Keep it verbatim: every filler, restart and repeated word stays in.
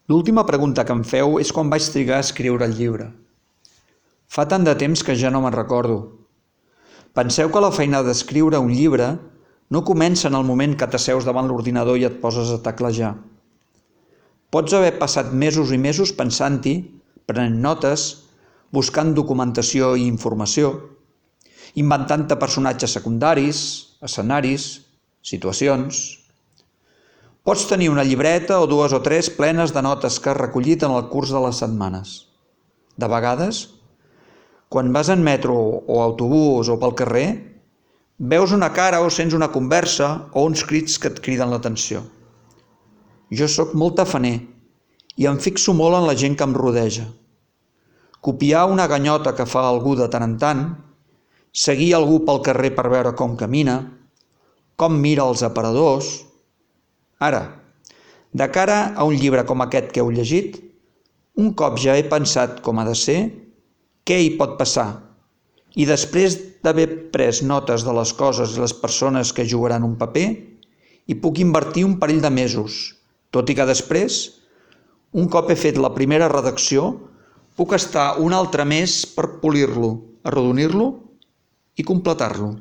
L'última pregunta que em feu és quan vaig trigar a escriure el llibre. Fa tant de temps que ja no me'n recordo. Penseu que la feina d'escriure un llibre no comença en el moment que t'asseus davant l'ordinador i et poses a teclejar. Pots haver passat mesos i mesos pensant-hi, prenent notes, buscant documentació i informació, inventant-te personatges secundaris, escenaris, situacions. Pots tenir una llibreta o dues o tres plenes de notes que has recollit en el curs de les setmanes. De vegades, quan vas en metro o autobús o pel carrer, veus una cara o sents una conversa o uns crits que et criden l'atenció. Jo sóc molt tafaner i em fixo molt en la gent que em rodeja. Copiar una ganyota que fa algú de tant en tant, seguir algú pel carrer per veure com camina, com mira els aparadors. Ara, de cara a un llibre com aquest que heu llegit, un cop ja he pensat com ha de ser, què hi pot passar, i després d'haver pres notes de les coses i les persones que jugaran un paper, hi puc invertir un parell de mesos, tot i que després, un cop he fet la primera redacció, puc estar un altre mes per polir-lo, arrodonir-lo i completar-lo.